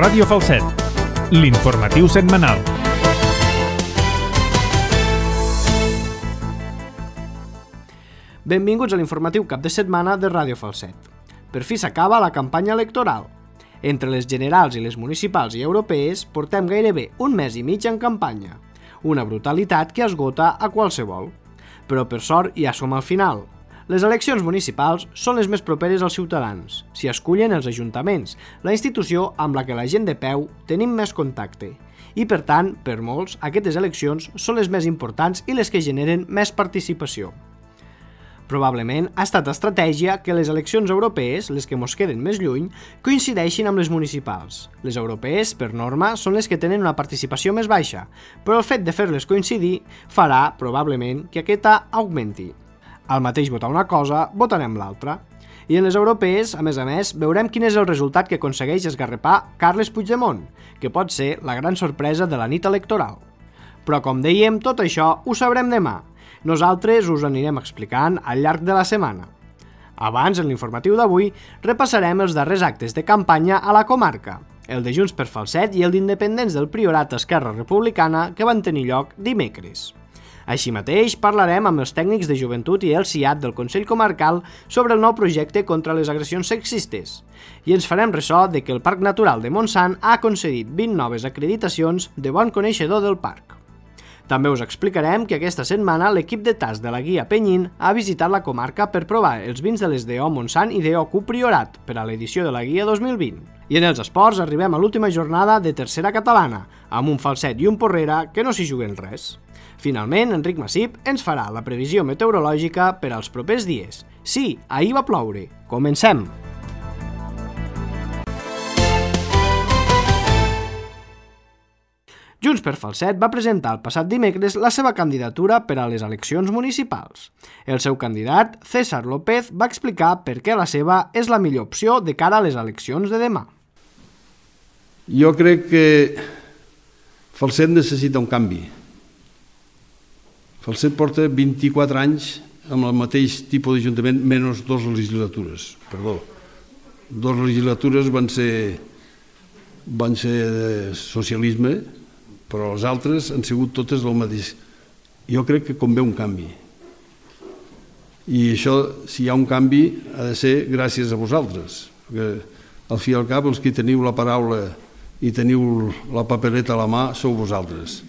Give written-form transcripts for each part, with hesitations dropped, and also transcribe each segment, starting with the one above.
Ràdio Falset, l'informatiu setmanal. Benvinguts a l'informatiu cap de setmana de Ràdio Falset. Per fi s'acaba la campanya electoral. Entre les generals i les municipals i europees portem gairebé un mes i mig en campanya. Una brutalitat que esgota a qualsevol. Però per sort ja som al final. Les eleccions municipals són les més properes als ciutadans. S'hi escullen els ajuntaments, la institució amb la que la gent de peu tenim més contacte. I per tant, per molts, aquestes eleccions són les més importants i les que generen més participació. Probablement ha estat estratègia que les eleccions europees, les que mos queden més lluny, coincideixin amb les municipals. Les europees, per norma, són les que tenen una participació més baixa, però el fet de fer-les coincidir farà, probablement, que aquesta augmenti. Al mateix votar una cosa, votarem l'altra. I en les europees, a més, veurem quin és el resultat que aconsegueix esgarrapar Carles Puigdemont, que pot ser la gran sorpresa de la nit electoral. Però, com dèiem, tot això ho sabrem demà. Nosaltres us anirem explicant al llarg de la setmana. Abans, en l'informatiu d'avui, repassarem els darrers actes de campanya a la comarca, el de Junts per Falset i el d'Independents del Priorat Esquerra Republicana que van tenir lloc dimecres. Així mateix, parlarem amb els tècnics de joventut i el CIAT del Consell Comarcal sobre el nou projecte contra les agressions sexistes. I ens farem ressò de que el Parc Natural de Montsant ha concedit 20 noves acreditacions de bon coneixedor del parc. També us explicarem que aquesta setmana l'equip de tas de la Guia Penyín ha visitat la comarca per provar els vins de les DO Montsant i DO Q Priorat per a l'edició de la Guia 2020. I en els esports arribem a l'última jornada de tercera catalana, amb un Falset i un Porrera que no s'hi juguen res. Finalment, Enric Massip ens farà la previsió meteorològica per als propers dies. Sí, ahir va ploure. Comencem! Junts per Falset va presentar el passat dimecres la seva candidatura per a les eleccions municipals. El seu candidat, César López, va explicar per què la seva és la millor opció de cara a les eleccions de demà. Jo crec que Falset necessita un canvi. Falset porta 24 anys amb el mateix tipus d'Ajuntament, menys 2 legislatures. Perdó, 2 legislatures van ser de socialisme, però les altres han sigut totes el mateix. Jo crec que convé un canvi. I això, si hi ha un canvi, ha de ser gràcies a vosaltres. Perquè, al fi i al cap, els que teniu la paraula i teniu la papereta a la mà sou vosaltres.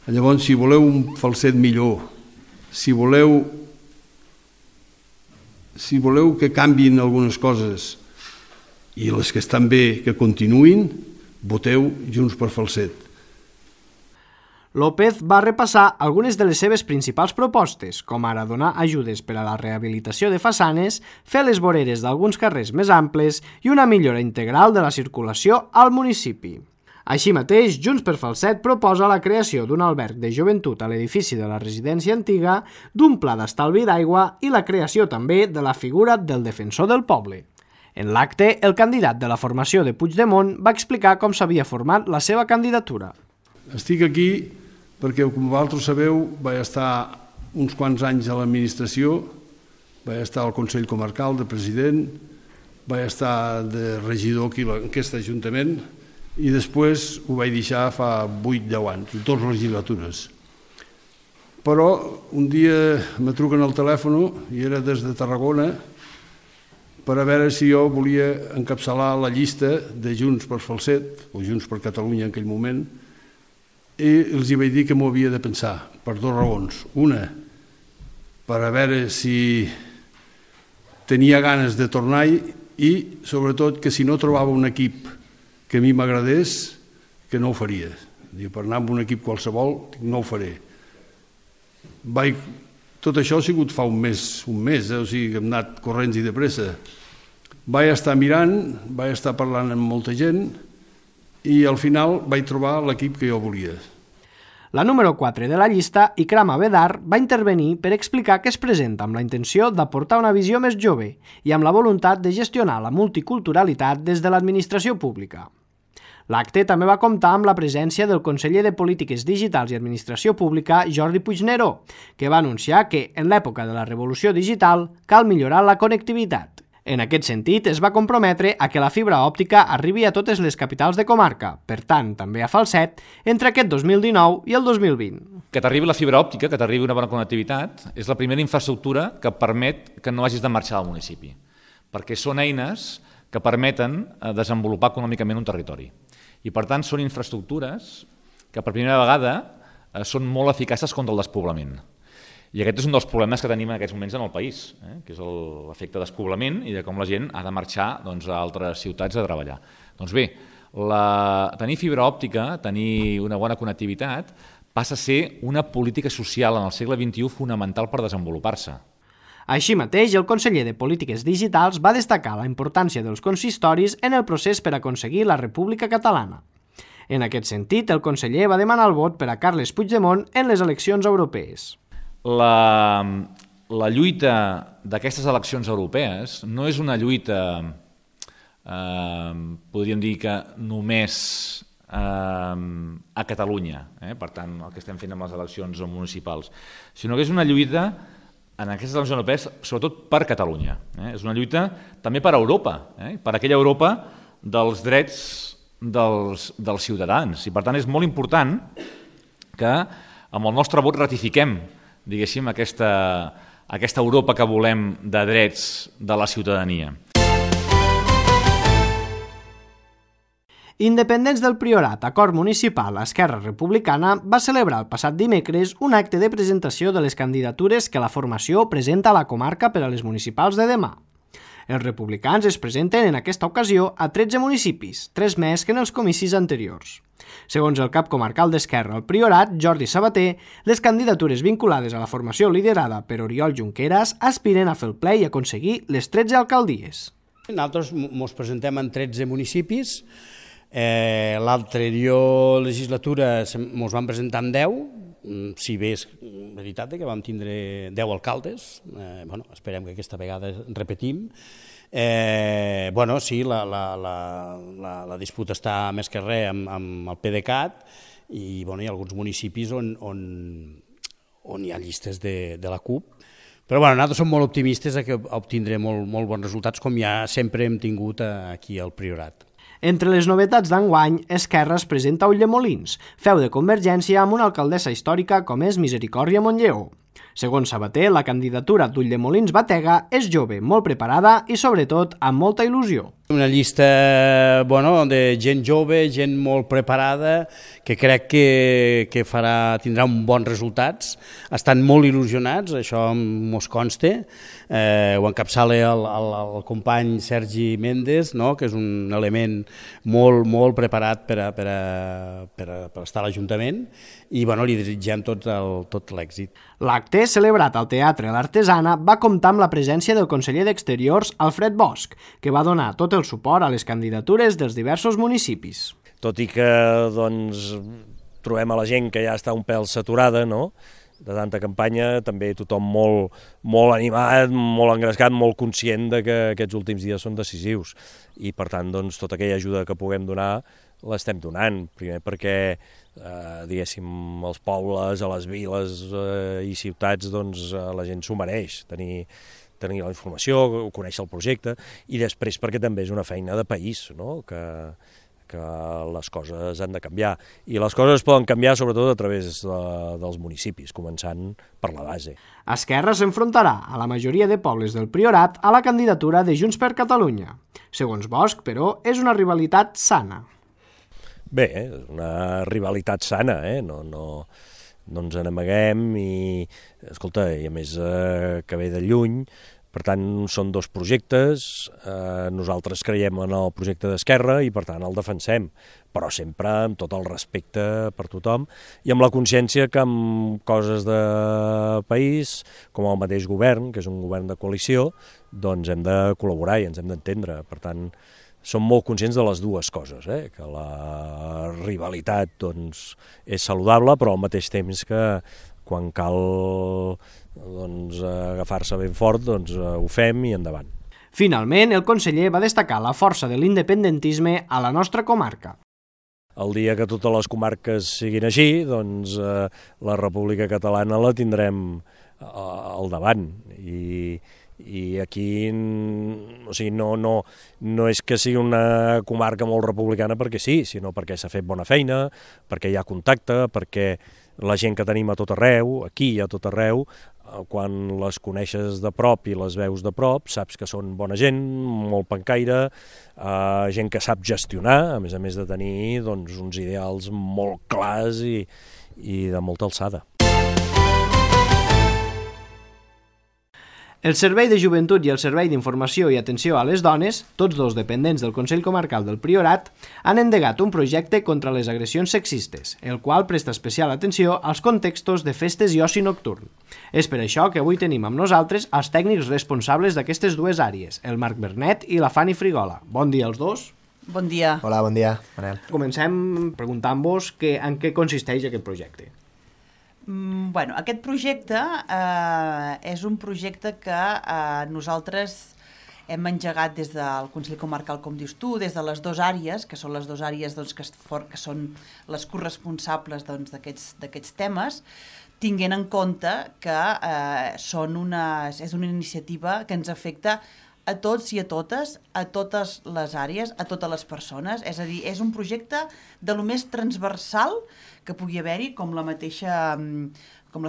Llavors, si voleu un Falset millor, si voleu que canviïn algunes coses i les que estan bé que continuïn, voteu Junts per Falset. López va repassar algunes de les seves principals propostes, com ara donar ajudes per a la rehabilitació de façanes, fer les voreres d'alguns carrers més amples i una millora integral de la circulació al municipi. Així mateix, Junts per Falset proposa la creació d'un alberg de joventut a l'edifici de la residència antiga, d'un pla d'estalvi d'aigua i la creació també de la figura del defensor del poble. En l'acte, el candidat de la formació de Puigdemont va explicar com s'havia format la seva candidatura. Estic aquí perquè, com vosaltres sabeu, vaig estar uns quants anys a l'administració, vaig estar al Consell Comarcal de president, vaig estar de regidor aquí en aquest ajuntament, i després ho vaig deixar fa 8-10 anys, 2 legislatures. Però un dia me truquen al telèfon, i era des de Tarragona, per a veure si jo volia encapçalar la llista de Junts per Falset, o Junts per Catalunya en aquell moment, i els hi vaig dir que m'ho havia de pensar, per 2 raons. Una, per a veure si tenia ganes de tornar-hi, i sobretot que si no trobava un equip que a mi m'agradés, que no ho faria. Per anar amb un equip qualsevol, no ho faré. Tot això ha sigut fa un mes, o sigui que hem anat corrents i de pressa. Vaig estar mirant, vaig estar parlant amb molta gent i al final vaig trobar l'equip que jo volia. La número 4 de la llista, Ikram Abedar, va intervenir per explicar que es presenta amb la intenció d'aportar una visió més jove i amb la voluntat de gestionar la multiculturalitat des de l'administració pública. L'acte també va comptar amb la presència del conseller de Polítiques Digitals i Administració Pública, Jordi Puigneró, que va anunciar que, en l'època de la revolució digital, cal millorar la connectivitat. En aquest sentit, es va comprometre a que la fibra òptica arribi a totes les capitals de comarca, per tant, també a Falset, entre aquest 2019 i el 2020. Que t'arribi la fibra òptica, que t'arribi una bona connectivitat, és la primera infraestructura que permet que no hagis de marxar del municipi, perquè són eines que permeten desenvolupar econòmicament un territori. I, per tant, són infraestructures que per primera vegada són molt eficaces contra el despoblament. I aquest és un dels problemes que tenim en aquests moments en el país, que és l'efecte despoblament i de com la gent ha de marxar a altres ciutats a treballar. Doncs bé, tenir fibra òptica, tenir una bona connectivitat, passa a ser una política social en el segle XXI fonamental per desenvolupar-se. Així mateix, el conseller de Polítiques Digitals va destacar la importància dels consistoris en el procés per aconseguir la República Catalana. En aquest sentit, el conseller va demanar el vot per a Carles Puigdemont en les eleccions europees. La lluita d'aquestes eleccions europees no és una lluita, podríem dir que només a Catalunya, per tant, el que estem fent amb les eleccions municipals, sinó que és una lluita en aquestes eleccions europees, sobretot per Catalunya. És una lluita també per Europa, per aquella Europa dels drets dels ciutadans. I per tant és molt important que amb el nostre vot ratifiquem, diguéssim, aquesta Europa que volem de drets de la ciutadania. Independents del Priorat, Acord Municipal, Esquerra Republicana va celebrar el passat dimecres un acte de presentació de les candidatures que la formació presenta a la comarca per a les municipals de demà. Els republicans es presenten en aquesta ocasió a 13 municipis, 3 més que en els comicis anteriors. Segons el cap comarcal d'Esquerra al Priorat, Jordi Sabater, les candidatures vinculades a la formació liderada per Oriol Junqueras aspiren a fer el ple i aconseguir les 13 alcaldies. Nosaltres ens presentem en 13 municipis. L'anterior legislatura ens vam presentar en 10, si bé és veritat que vam tindre 10 alcaldes. Esperem que aquesta vegada repetim. Sí, la disputa està més que res amb el PDeCAT i hi ha alguns municipis on hi ha llistes de la CUP. Però nosaltres som molt optimistes que obtindrem molt bons resultats, com ja sempre hem tingut aquí al Priorat. Entre les novetats d'enguany, Esquerra es presenta a Ulldemolins, feu de Convergència amb una alcaldessa històrica com és Misericòrdia Montlleó. Segons Sabater, la candidatura d'Ulldemolins-Batega és jove, molt preparada i, sobretot, amb molta il·lusió. Una llista de gent jove, gent molt preparada, que crec que tindrà bons resultats. Estan molt il·lusionats, això mos consta. Ho encapçala el company Sergi Méndez, que és un element molt preparat per estar a l'Ajuntament, i li desitgem tot l'èxit. L'acte, celebrat al Teatre L'Artesana, va comptar amb la presència del conseller d'Exteriors, Alfred Bosch, que va donar tot el suport a les candidatures dels diversos municipis. Tot i que trobem a la gent que ja està un pèl saturada, de tanta campanya, també tothom molt animat, molt engrescat, molt conscient de que aquests últims dies són decisius. I per tant, tota aquella ajuda que puguem donar l'estem donant. Primer perquè, diguéssim, als pobles, a les viles i ciutats, la gent s'ho mereix, tenir la informació, conèixer el projecte, i després perquè també és una feina de país, que les coses han de canviar. I les coses poden canviar sobretot a través dels municipis, començant per la base. Esquerra s'enfrontarà a la majoria de pobles del Priorat a la candidatura de Junts per Catalunya. Segons Bosch, però, és una rivalitat sana. Bé, és una rivalitat sana, no ens n'amaguem i, escolta, i a més que ve de lluny. Per tant, són dos projectes, nosaltres creiem en el projecte d'Esquerra i per tant el defensem, però sempre amb tot el respecte per tothom i amb la consciència que amb coses de país, com el mateix govern, que és un govern de coalició, hem de col·laborar i ens hem d'entendre. Per tant, som molt conscients de les dues coses, que la rivalitat és saludable, però al mateix temps que quan cal agafar-se ben fort, ho fem i endavant. Finalment, el conseller va destacar la força de l'independentisme a la nostra comarca. El dia que totes les comarques siguin així, la República Catalana la tindrem al davant I aquí o sigui, no és que sigui una comarca molt republicana perquè sí, sinó perquè s'ha fet bona feina, perquè hi ha contacte, perquè la gent que tenim a tot arreu, aquí i a tot arreu, quan les coneixes de prop i les veus de prop, saps que són bona gent, molt pencaire, gent que sap gestionar, a més de tenir doncs, uns ideals molt clars i de molta alçada. El Servei de Joventut i el Servei d'Informació i Atenció a les Dones, tots dos dependents del Consell Comarcal del Priorat, han endegat un projecte contra les agressions sexistes, el qual presta especial atenció als contextos de festes i oci nocturn. És per això que avui tenim amb nosaltres els tècnics responsables d'aquestes dues àrees, el Marc Bernet i la Fanny Frigola. Bon dia als dos. Bon dia. Hola, bon dia, Manel. Comencem preguntant-vos en què consisteix aquest projecte. Bueno, aquest projecte és un projecte que nosaltres hem engegat des del Consell Comarcal, com dius tu, des de les dues àrees, que són les dues àrees doncs, que són les corresponsables doncs, d'aquests temes, tinguent en compte que és una iniciativa que ens afecta a tots i a totes les àrees, a totes les persones. És a dir, és un projecte de lo més transversal que pugui haver-hi, com les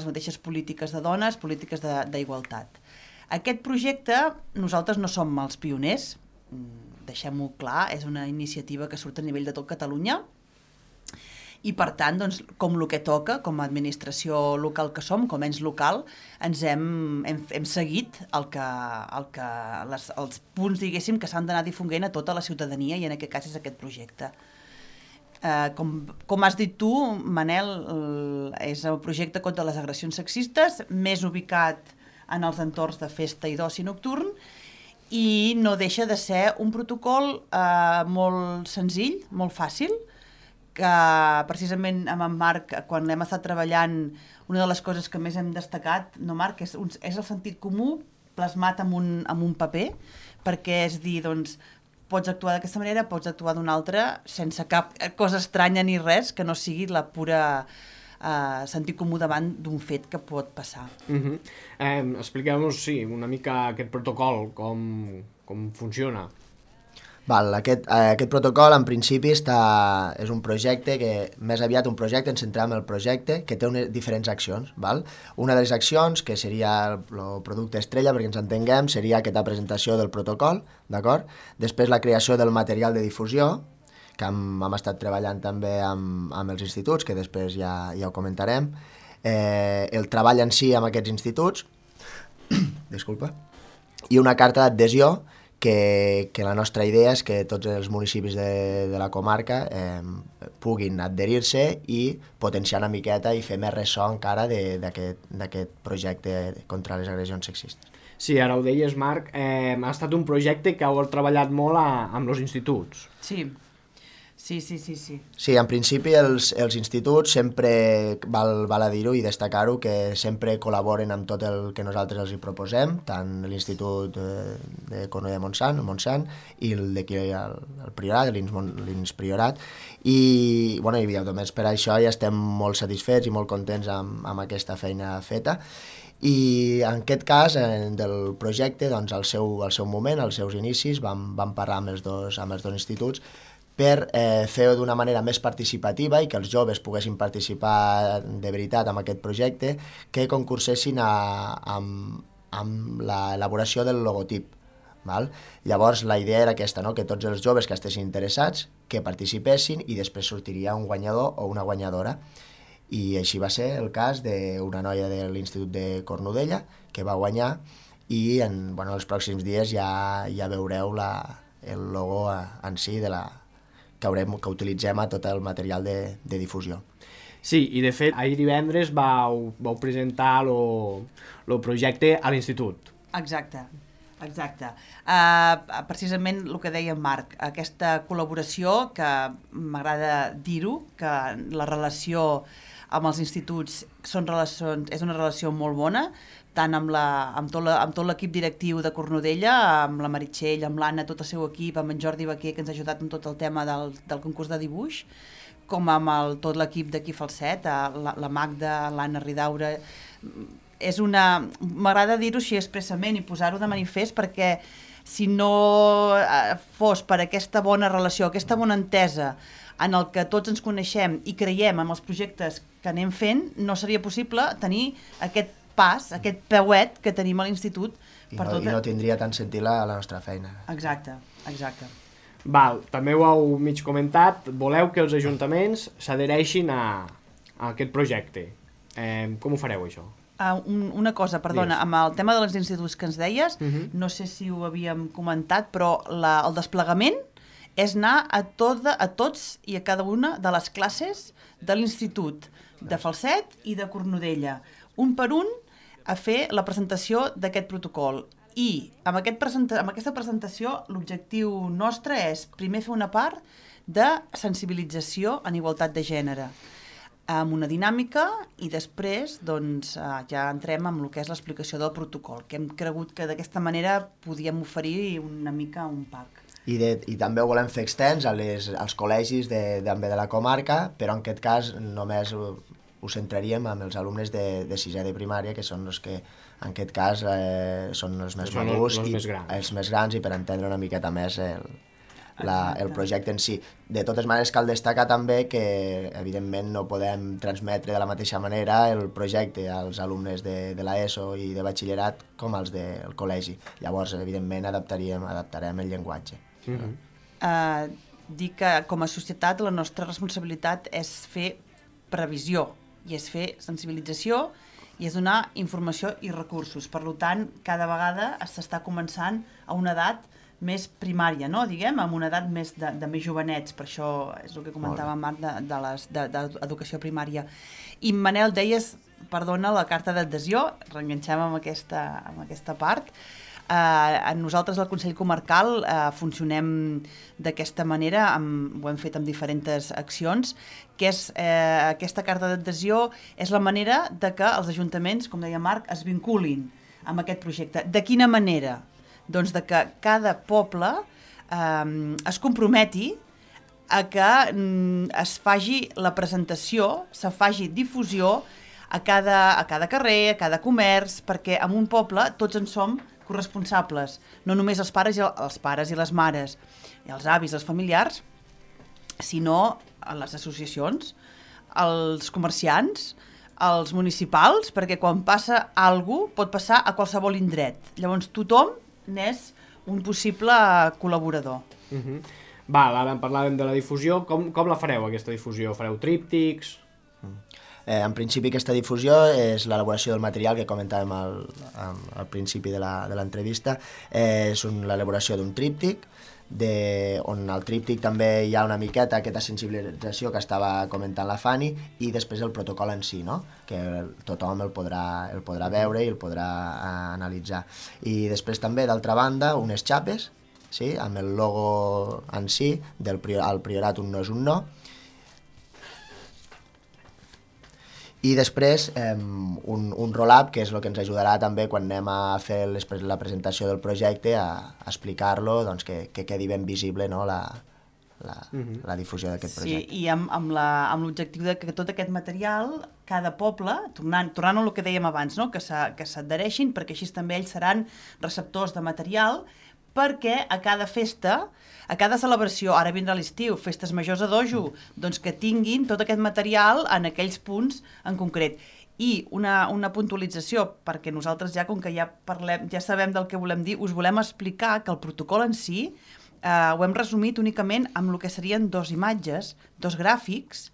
mateixes polítiques de dones, polítiques d'igualtat. Aquest projecte, nosaltres no som els pioners, deixem-ho clar, és una iniciativa que surt a nivell de tot Catalunya, i per tant, doncs, com el que toca, com a administració local que som, com a ens local, ens hem seguit els punts, diguéssim, que s'han d'anar difonent a tota la ciutadania, i en aquest cas és aquest projecte. Com has dit tu, Manel, és el projecte contra les agressions sexistes, més ubicat en els entorns de festa i d'oci nocturn, i no deixa de ser un protocol molt senzill, molt fàcil, que precisament amb en Marc, quan l'hem estat treballant, una de les coses que més hem destacat, no, Marc, és el sentit comú plasmat en un paper, perquè és dir, doncs, pots actuar d'aquesta manera, pots actuar d'una altra, sense cap cosa estranya ni res, que no sigui la pura sentit comú davant d'un fet que pot passar. Expliqueu-nos, sí, una mica aquest protocol, com funciona. Aquest protocol, en principi, és un projecte que, més aviat un projecte, ens centrem en el projecte, que té diferents accions. Una de les accions, que seria el producte estrella, perquè ens entenguem, seria aquesta presentació del protocol, d'acord? Després la creació del material de difusió, que hem estat treballant també amb els instituts, que després ja ho comentarem, el treball en si amb aquests instituts, i una carta d'adhesió, que la nostra idea és que tots els municipis de la comarca puguin adherir-se i potenciar una miqueta i fer més ressò encara d'aquest projecte contra les agressions sexistes. Sí, ara ho deies, Marc, ha estat un projecte que heu treballat molt amb els instituts. Sí. Sí. Sí, en principi els instituts sempre, val a dir-ho i destacar-ho, que sempre col·laboren amb tot el que nosaltres els hi proposem, tant l'Institut de Cornudella de Montsant i el d'aquí al Priorat, l'INS Priorat, i només per això ja estem molt satisfets i molt contents amb aquesta feina feta. I en aquest cas, del projecte, doncs, al seu moment, als seus inicis, vam parlar amb els dos instituts per fer-ho d'una manera més participativa i que els joves poguessin participar de veritat en aquest projecte, que concursessin amb l'elaboració del logotip. Llavors la idea era aquesta, que tots els joves que estessin interessats que participessin i després sortiria un guanyador o una guanyadora. I així va ser el cas d'una noia de l'Institut de Cornudella que va guanyar, i en els pròxims dies ja veureu el logo en si que utilitzem a tot el material de difusió. Sí, i de fet, ahir divendres vau presentar el projecte a l'institut. Exacte. Precisament el que deia Marc, aquesta col·laboració, que m'agrada dir-ho, que la relació amb els instituts és una relació molt bona, tant amb tot l'equip directiu de Cornudella, amb la Meritxell, amb l'Anna, tot el seu equip, amb en Jordi Baquer, que ens ha ajudat en tot el tema del concurs de dibuix, com amb tot l'equip d'aquí Falset, la Magda, l'Anna Ridaura. m'agrada dir-ho així expressament i posar-ho de manifest, perquè si no fos per aquesta bona relació, aquesta bona entesa en el que tots ens coneixem i creiem en els projectes que anem fent, no seria possible tenir aquest pas, aquest peuet que tenim a l'institut. I no tindria tant sentit la nostra feina. Exacte. Val, també ho heu mig comentat, voleu que els ajuntaments s'adhereixin a aquest projecte. Com ho fareu, això? Una cosa, perdona, amb el tema dels instituts que ens deies, no sé si ho havíem comentat, però el desplegament és anar a tots i a cada una de les classes de l'institut de Falset i de Cornudella, un per un, a fer la presentació d'aquest protocol. I amb aquesta presentació l'objectiu nostre és primer fer una part de sensibilització en igualtat de gènere, amb una dinàmica, i després doncs, ja entrem amb el que és l'explicació del protocol, que hem cregut que d'aquesta manera podíem oferir una mica un pack. I també ho volem fer extens als col·legis també de la comarca, però en aquest cas només ho centraríem amb els alumnes de sisè de primària, que són els que en aquest cas són els més madurs i els més grans, i per entendre una miqueta més el projecte en si. De totes maneres, cal destacar també que evidentment no podem transmetre de la mateixa manera el projecte als alumnes de l'ESO i de batxillerat com als del col·legi. Llavors, evidentment, adaptarem el llenguatge. Dir que com a societat la nostra responsabilitat és fer previsió, i és fer sensibilització, i és donar informació i recursos. Per tant, cada vegada s'està començant a una edat més primària, no? Diguem, amb una edat més de més jovenets, per això és el que comentava Marc d'educació primària. I Manel, deies, perdona, la carta d'adhesió, reenganxem amb aquesta part. Nosaltres al Consell Comarcal funcionem d'aquesta manera, ho hem fet amb diferents accions, que és aquesta carta d'adhesió és la manera de que els ajuntaments, com deia Marc, es vinculin amb aquest projecte. De quina manera? Doncs de que cada poble es comprometi a que es faci la presentació, se faci difusió a cada carrer, a cada comerç, perquè en un poble tots en som corresponsables, no només els pares i les mares, i els avis, els familiars, sinó les associacions, els comerciants, els municipals, perquè quan passa alguna cosa pot passar a qualsevol indret. Llavors tothom n'és un possible col·laborador. Val, ara en parlàvem de la difusió. Com la fareu, aquesta difusió? Fareu tríptics? En principi, aquesta difusió és l'elaboració del material que comentàvem al principi de l'entrevista. És l'elaboració d'un tríptic, on al tríptic també hi ha una miqueta aquesta sensibilització que estava comentant la Fanny, i després el protocol en si, no? Que tothom el podrà veure i el podrà analitzar. I després també, d'altra banda, unes xapes, sí? Amb el logo en si, al Priorat un no és un no. I després un roll-up, que és el que ens ajudarà també quan anem a fer la presentació del projecte, a explicar-lo, doncs que quedi ben visible, no, la difusió d'aquest projecte. Sí, i amb l'objectiu de que tot aquest material, cada poble, tornant a el que dèiem abans, no, que s'adhereixin, perquè així també ells seran receptors de material, perquè a cada festa, a cada celebració, ara vindrà l'estiu, festes majors a dojo, doncs que tinguin tot aquest material en aquells punts en concret. I una puntualització, perquè nosaltres ja, com que ja sabem del que volem dir, us volem explicar que el protocol en si ho hem resumit únicament amb el que serien 2 imatges, 2 gràfics,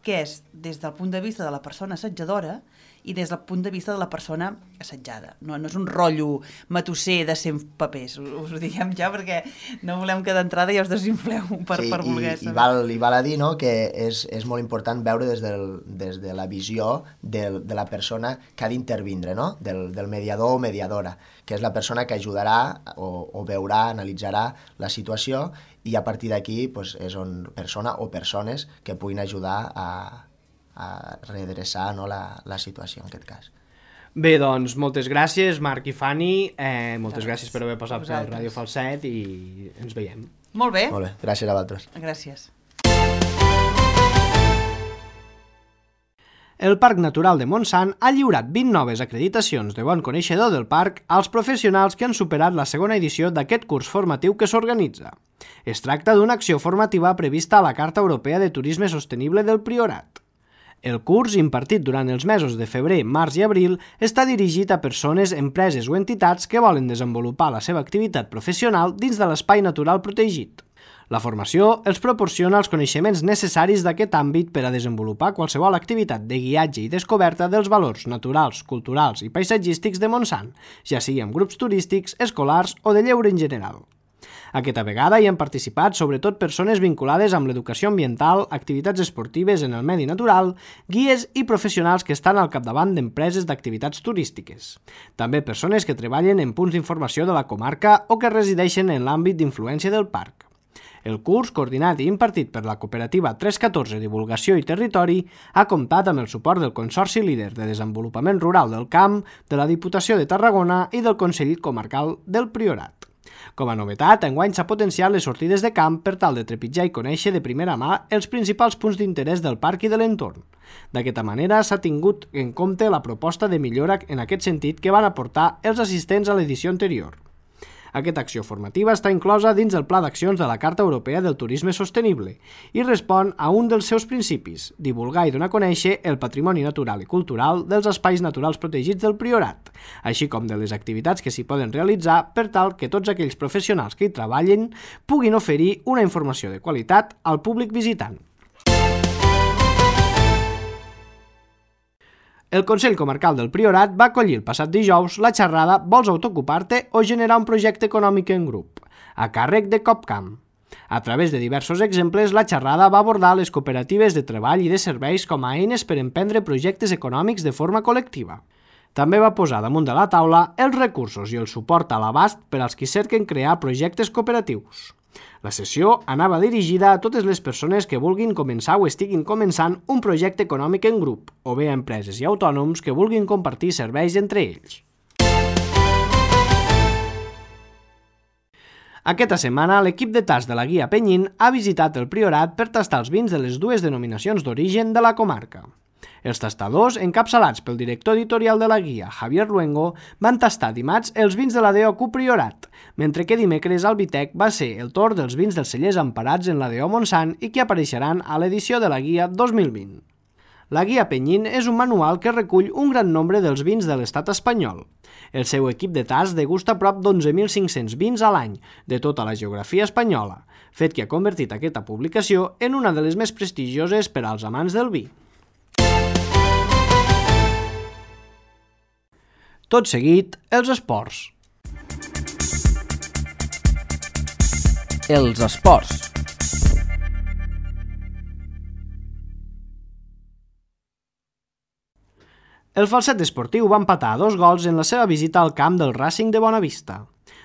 que és des del punt de vista de la persona assetjadora i des del punt de vista de la persona assetjada. No és un rotllo matusser de 100 papers, us ho diguem ja, perquè no volem que d'entrada ja us desinfleu per voler saber. I val a dir, no, que és molt important veure des de la visió de la persona que ha d'intervindre, no? Del mediador o mediadora, que és la persona que ajudarà o veurà, analitzarà la situació, i a partir d'aquí és on persona o persones que puguin ajudar a redreçar, no, la situació en aquest cas. Bé, doncs moltes gràcies, Marc i Fanny, moltes gràcies per haver passat per Ràdio Falset i ens veiem. Molt bé. Molt bé, gràcies a vosaltres. Gràcies. El Parc Natural de Montsant ha lliurat 20 noves acreditacions de bon coneixedor del parc als professionals que han superat la segona edició d'aquest curs formatiu que s'organitza. Es tracta d'una acció formativa prevista a la Carta Europea de Turisme Sostenible del Priorat. El curs, impartit durant els mesos de febrer, març i abril, està dirigit a persones, empreses o entitats que volen desenvolupar la seva activitat professional dins de l'espai natural protegit. La formació els proporciona els coneixements necessaris d'aquest àmbit per a desenvolupar qualsevol activitat de guiatge i descoberta dels valors naturals, culturals i paisatgístics de Montsant, ja sigui amb grups turístics, escolars o de lleure en general. Aquesta vegada hi han participat sobretot persones vinculades amb l'educació ambiental, activitats esportives en el medi natural, guies i professionals que estan al capdavant d'empreses d'activitats turístiques. També persones que treballen en punts d'informació de la comarca o que resideixen en l'àmbit d'influència del parc. El curs, coordinat i impartit per la cooperativa 314 Divulgació i Territori, ha comptat amb el suport del Consorci Líder de Desenvolupament Rural del Camp, de la Diputació de Tarragona i del Consell Comarcal del Priorat. Com a novetat, enguany s'ha potenciat les sortides de camp per tal de trepitjar i conèixer de primera mà els principals punts d'interès del parc i de l'entorn. D'aquesta manera s'ha tingut en compte la proposta de millora en aquest sentit que van aportar els assistents a l'edició anterior. Aquesta acció formativa està inclosa dins el Pla d'Accions de la Carta Europea del Turisme Sostenible i respon a un dels seus principis, divulgar i donar a conèixer el patrimoni natural i cultural dels espais naturals protegits del Priorat, així com de les activitats que s'hi poden realitzar per tal que tots aquells professionals que hi treballen puguin oferir una informació de qualitat al públic visitant. El Consell Comarcal del Priorat va acollir el passat dijous la xerrada Vols autoocupar-te o generar un projecte econòmic en grup, a càrrec de Copcam. A través de diversos exemples, la xerrada va abordar les cooperatives de treball i de serveis com a eines per emprendre projectes econòmics de forma col·lectiva. També va posar damunt de la taula els recursos i el suport a l'abast per als qui cerquen crear projectes cooperatius. La sessió anava dirigida a totes les persones que vulguin començar o estiguin començant un projecte econòmic en grup, o bé a empreses i autònoms que vulguin compartir serveis entre ells. Aquesta setmana, l'equip de tas de la Guia Penyín ha visitat el Priorat per tastar els vins de les dues denominacions d'origen de la comarca. Els tastadors, encapçalats pel director editorial de la Guia, Javier Luengo, van tastar dimarts els vins de la DO Priorat, mentre que dimecres al Vitec va ser el torn dels vins dels cellers emparats en la DO Montsant i que apareixeran a l'edició de la Guia 2020. La Guia Penyín és un manual que recull un gran nombre dels vins de l'estat espanyol. El seu equip de tast degusta prop d'11.500 vins a l'any de tota la geografia espanyola, fet que ha convertit aquesta publicació en una de les més prestigioses per als amants del vi. Tot seguit, els esports. Els esports. El Falset esportiu va empatar a 2 gols en la seva visita al camp del Racing de Bonavista.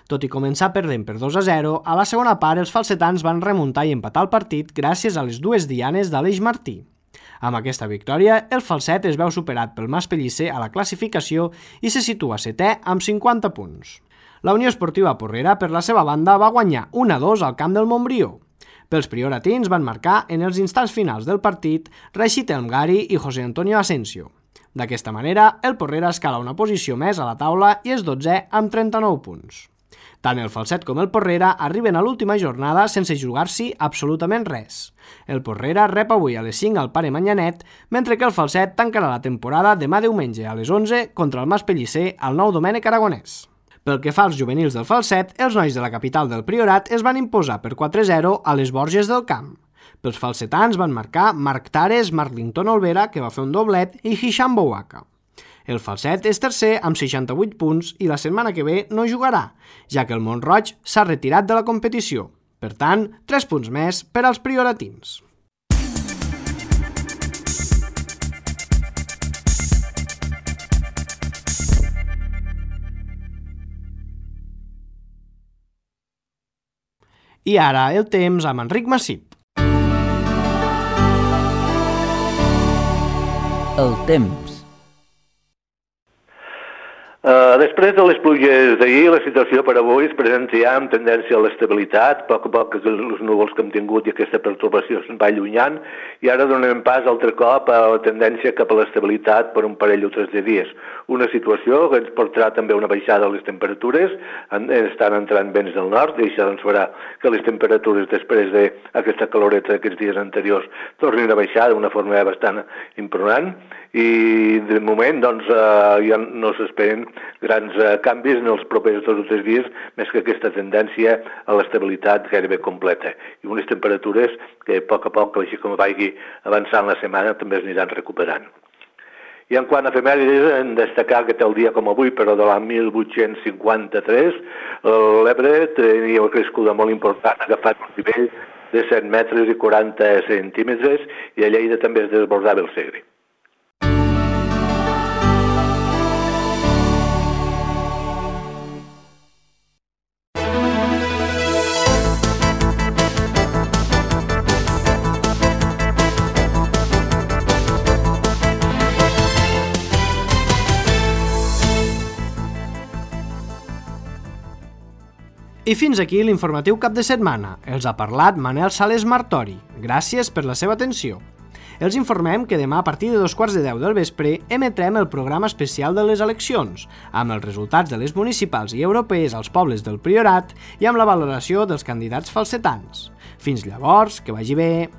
Tot i començar perdent per 2-0, a la segona part els falsetans van remuntar i empatar el partit gràcies a les dues dianes d'Aleix Martí. Amb aquesta victòria, el Falset es veu superat pel Mas Pellicer a la classificació i se situa setè amb 50 punts. La Unió Esportiva Porrera, per la seva banda, va guanyar 1-2 al camp del Montbrió. Pels prioratins van marcar en els instants finals del partit Rashid Elmgari i José Antonio Asensio. D'aquesta manera, el Porrera escala una posició més a la taula i és 12è amb 39 punts. Tant el Falset com el Porrera arriben a l'última jornada sense jugar-s'hi absolutament res. El Porrera rep avui a les 5 al Pare Manyanet, mentre que el Falset tancarà la temporada demà diumenge a les 11 contra el Mas Pellicer al Nou Domènec Aragonès. Pel que fa als juvenils del Falset, els nois de la capital del Priorat es van imposar per 4-0 a les Borges del Camp. Pels falsetans van marcar Marc Tares, Marlington Olvera, que va fer un doblet, i Hisham Bouaka. El Falset és tercer amb 68 punts i la setmana que ve no jugarà, ja que el Mont-roig s'ha retirat de la competició. Per tant, 3 punts més per als prioratins. I ara el temps amb Enric Massip. El temps. Després de les pluges d'ahir, la situació per avui es presenta ja amb tendència a l'estabilitat. A poc els núvols que hem tingut i aquesta pertorbació se'n va allunyant i ara donem pas altre cop a la tendència cap a l'estabilitat per un parell o 3 de dies. Una situació que ens portarà també una baixada a les temperatures, estan entrant vents del nord i això doncs farà que les temperatures després d'aquesta caloreta d'aquests dies anteriors tornin a baixar d'una forma bastant imprudent i de moment doncs, ja no s'esperen grans canvis en els propers 2 o 3 dies, més que aquesta tendència a l'estabilitat gairebé completa. I unes temperatures que a poc, així com vagi avançant la setmana, també es aniran recuperant. I en quant a efemèrides, hem de destacar que tal dia com avui, però de l'any 1853, l'Ebre tenia una crescuda molt important, agafat un nivell de 7 metres i 40 centímetres, i a Lleida també es desbordava el Segre. I fins aquí l'informatiu cap de setmana. Els ha parlat Manel Sales Martori. Gràcies per la seva atenció. Els informem que demà a partir de 9:15 del vespre emetrem el programa especial de les eleccions, amb els resultats de les municipals i europees als pobles del Priorat i amb la valoració dels candidats falsetans. Fins llavors, que vagi bé.